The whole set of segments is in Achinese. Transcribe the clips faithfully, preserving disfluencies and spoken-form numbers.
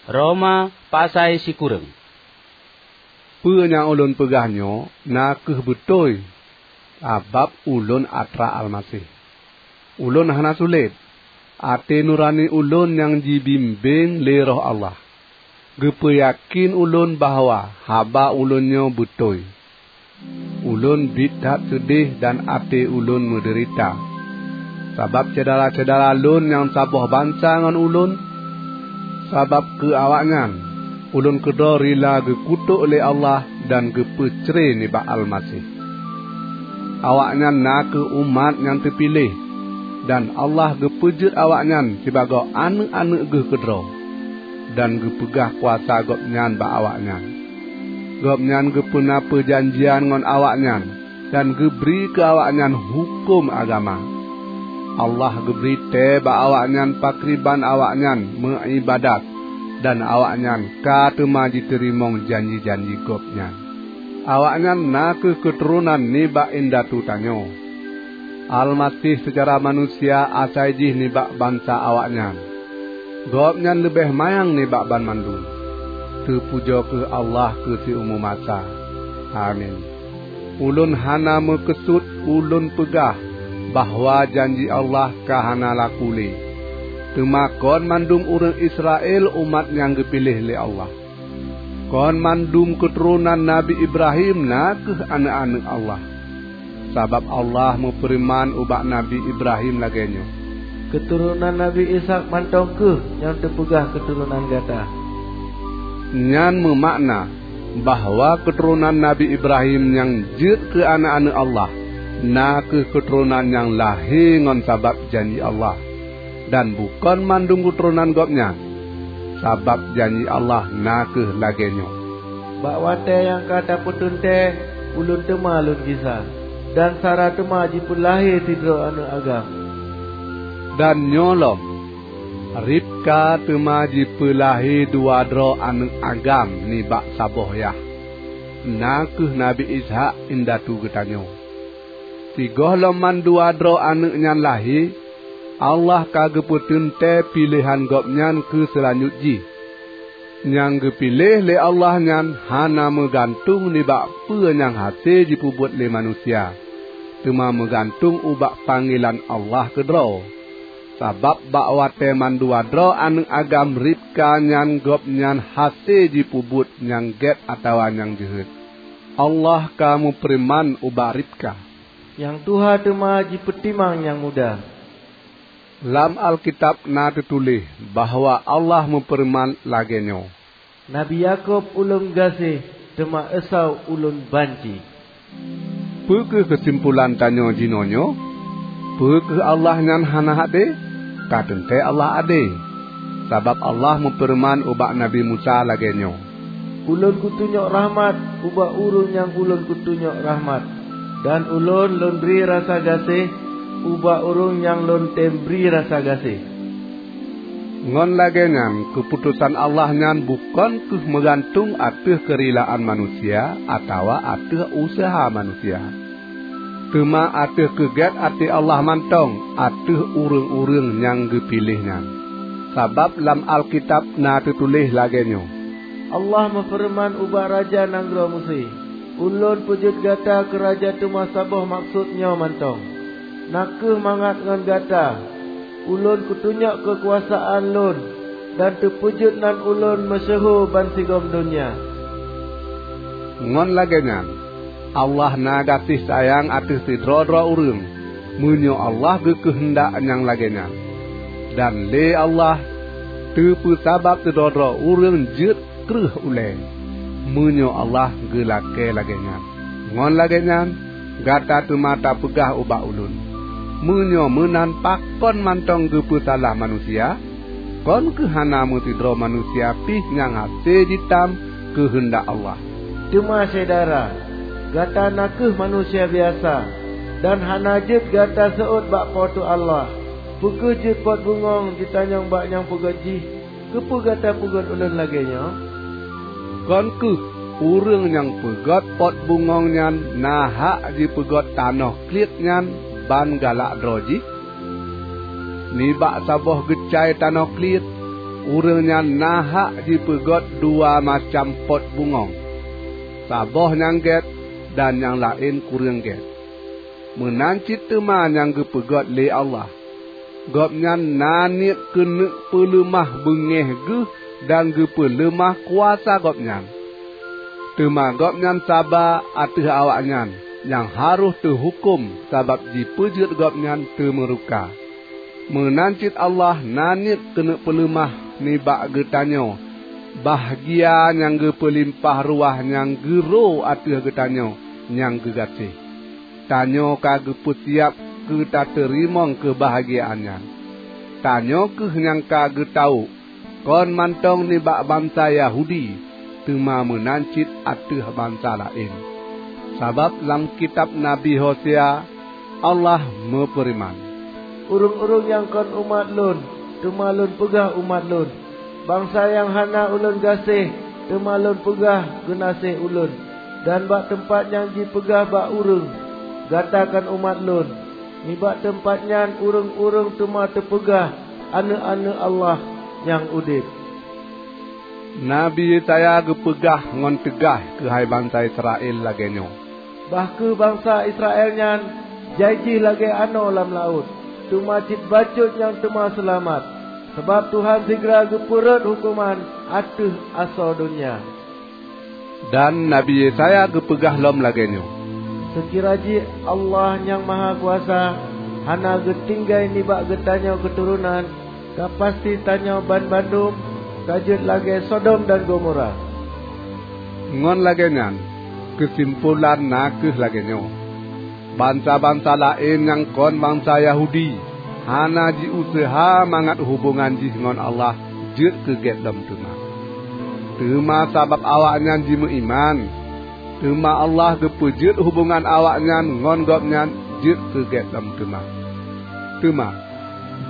Roma pasai sikureueng. Peue nyang ulôn peugah nyoe na kheueh beutôi, sabab ulôn atra Almaseh. Ulôn hana sulet. Até nurani ulôn nyang jibimbéng lé Roh Allah, geupeuyakén ulôn bahwa haba ulôn nyoe beutôi. Ulôn biet that seudeh dan até ulôn meudeurita, sabab syedara-syedara lôn nyang saboh bansa ngon ulôn. Sabab keu awaknyan, ulôn keudroe rila geukutok lé Allah dan geupeucre nibak Almaseh. Awaknyan na kheueh umat nyang teupiléh, dan Allah geupeujeuet awaknyan sibagoe aneuëk-aneuëk Geuh keudroe, dan geupeugah kuasa Gobnyan bak awaknyan. Gobnyan geupeuna peujanjian ngon awaknyan dan geubri keu awaknyan huköm agama. Allah geubri tée bak awaknyan pakriban awaknyan meuiébadat, dan awaknyan ka teuma jiteurimong janji-janji Gobnyan. Awaknyan na kheueh keuturonan nibak indatu tanyoe. Almaseh seucara manusia asai jih nibak bansa awaknyan. Gobnyan leubeh manyang nibak banmandum. Teupujoe kheueh Allah keu siumu masa! Amin. Ulôn hana meukeusut ulôn peugah bahwa janji Allah ka hana laku lé. Teuma kon mandum ureuëng Israel umat nyang geupiléh lé Allah. Kon mandum keuturonan Nabi Ibrahim na kheueh aneuëk-aneuëk Allah. Sabab Allah meufeureuman ubak Nabi Ibrahim lagée nyoe, "Keuturonan Nabi Ishak mantong kheueh nyang teupeugah keuturonan gata." Nyan meumakna bahwa keuturonan Nabi Ibrahim nyang jeuet keu aneuëk-aneuëk Allah na kheueh keuturonan nyang lahé ngon sabab janji Allah, dan bukon mandum keuturonan gobnyan, sabab janji Allah na kheueh lagée nyoe, "Bak watée nyang ka tapeuteuntée, ulôn teuma lôn gisa, dan Sara teuma jipeulahé sidroe aneuëk agam." Dan nyoe lom, Ribka teuma jipeulahé dua droe aneuëk agam nibak saboh yah, na kheueh Nabi Ishak indatu geutanyoe. Sigohlom mandua droe aneuëk nyan lahé, Allah ka geupeuteuntée piléhan Gobnyan keu seulanjut jih. Nyang geupiléh lé Allah nyan hana meugantung nibak peue nyang hase jipeubuet lé manusia, teuma meugantung ubak panggilan Allah keudroe. Sabab bak watée mandua droe aneuëk agam Ribka nyan gobnyan hase jipeubuet nyang gét atawa nyang jeuhet, Allah ka meufeureuman ubak Ribka, "Nyang tuha teuma jipeutimang nyang muda." Lam Alkitab na teutuléh bahwa Allah meufeureuman lagée nyoe, "Nabi Yakub Ulôn gaséh, teuma Esau Ulôn banci." Peu kheueh keusimpulan tanyoe jinoenyoe? Peu kheueh Allah nyan hana adé? Ka teuntée Allah adé! Sabab Allah meufeureuman ubak Nabi Musa lagée nyoe, "Ulôn kutunyok rahmat ubak ureuëng nyang Ulôn kutunyok rahmat, dan Ulôn Lôn bri rasa gaséh ubak ureuëng nyang Lôn tem bri rasa gaséh." Ngon lagée nyan, keuputosan Allah nyan bukon kheueh meugantung ateueh keurilaan manusia atawa ateueh useuha manusia, teuma ateueh keugét até Allah mantong ateueh ureuëng-ureuëng nyang geupiléh nyan. Sabab lam Alkitab na teutuléh lagée nyoe, "Allah meufeureuman ubak raja nanggroe Meusé, 'Ulôn peujeuet gata keu raja teuma saboh maksot nyoe mantong: Na kheueh mangat ngon gata, Ulôn kutunyok keukuasaan Lôn, dan teupeujeuet nan Ulôn meusyeuhu bansigom donya.'" Ngon lagée nyan, Allah na gaséh sayang ateueh sidroe-droe ureuëng, meunyoe Allah geukeuheundak nyang lagée nyan. Dan lé Allah teupeusabab sidroe-droe ureuëng jeuet kreueh ulée, meunyoe Allah geulakée lagée nyan. Ngon lagée nyan, gata teuma tapeugah ubak ulôn, "Meunyoe meunan, pakon mantong geupeusalah manusia? Kon kheueh hana meusidroe manusia pih nyang hase jitam keuheundak Allah?" Teuma syedara, gata na kheueh manusia biasa, dan hana jeuet gata seuôt bak Po teu Allah. Peu kheueh jeuet pot bungöng jitanyong bak nyang peugöt jih, "Keupeue gata peugöt ulôn lagée nyoe?" Kon kheueh ureuëng nyang peugöt pot bungöng nyan na hak jipeugöt tanoh kliet nyan ban galak droe jih? Nibak saboh geucai tanoh kliet, Ureuëng nyan na hak jipeugét dua macam pot bungöng, saboh nyang gét dan nyang laén kureueng gét. Meunan cit teuma nyang geupeugét lé Allah. Gobnyan na niet keuneuk peuleumah beungéh geuh dan geupeuleumah kuasa Gobnyan. Teuma Gobnyan saba ateueh awaknyan nyang harôh teuhuköm sabab jipeujeuet Gobnyan teumeuruka. Meunan cit Allah na niet keuneuk peuleumah nibak geutanyoe bahgia nyang geupeulimpah ruah nyang geuro ateueh geutanyoe nyang geugaséh. Tanyoe ka geupeusiab keu tateurimong keubahgiaan nyan. Tanyoe kheueh nyang ka geutawök, kon mantong nibak bansa Yahudi, teuma meunan cit ateueh bansa laén. Sabab lam kitab Nabi Hosea, Allah meufeureuman, "Ureuëng-ureuëng nyang kon umat Lôn, teuma Lôn peugah umat Lôn. Bansa nyang hana Ulôn gaséh, teuma Lôn peugah geunaséh Ulôn." Dan bak teumpat nyang jipeugah bak ureuëng, "Gata kon umat Lôn," nibak teumpat nyan ureuëng-ureuëng teuma teupeugah aneuëk-aneuëk Allah nyang udeb. Nabi Yesaya geupeugah ngon teugaih keuhai bansa Israel lagée nyoe, "Bah kheueh bansa Israel nyan jai jih lagée anoe lam laôt, teuma cit bacut nyang teuma seulamat, sabab Tuhan sigra geupeurhot huköman ateueh asoe donya." Dan Nabi Yesaya geupeugah lom lagée nyoe, "Seukira jih Allah Nyang Mahakuasa hana geutinggai nibak geutanyoe keuturonan, ka pasti tanyoe banmandum ka jeuet lagée Sodom dan Gomora." Ngon lagée nyan, keusimpulan na kheueh lagée nyoe: Bansa-bansa laén nyang kon bansa Yahudi hana jiuseuha mangat hubongan jih ngon Allah jeuet keu gét lom teuma. Teuma sabab awaknyan jimeuiman, teuma Allah geupeujeuet hubongan awaknyan ngon Gobnyan jeuet keu gét lom teuma. Teuma,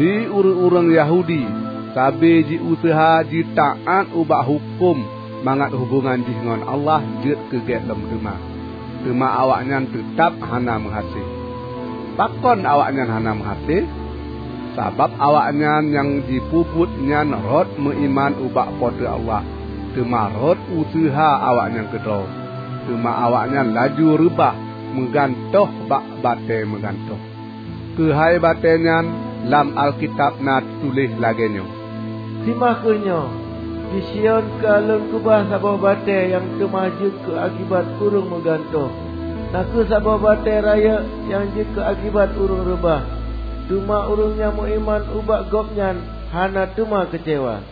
di ureuëng-ureuëng Yahudi sabe jiuseuha jitaát ubak huköm mangat hubongan jih ngon Allah jeuet keu gét lom teuma, teuma awaknyan teutab hana meuhase. Pakon awaknyan hana meuhase? Sabab awaknyan nyang jipeubuet nyan rhot meuiman ubak Po teu Allah, teuma rhot useuha awaknyan keudroe, teuma awaknyan laju reubah meugantoh bak batée meugantoh. Keuhai batée nyan, lam Alkitab na teutuléh lagée nyoe, "Seumah kheueh nyoe, di Sion ka Lôn keubah saboh batée nyang teuma jeuet keu akibat ureuëng meugantoh, na kheueh saboh batée rayeuk nyang jeuet keu akibat ureuëng reubah. Teuma ureuëng nyang meuiman ubak Gobnyan hana teuma keucewa."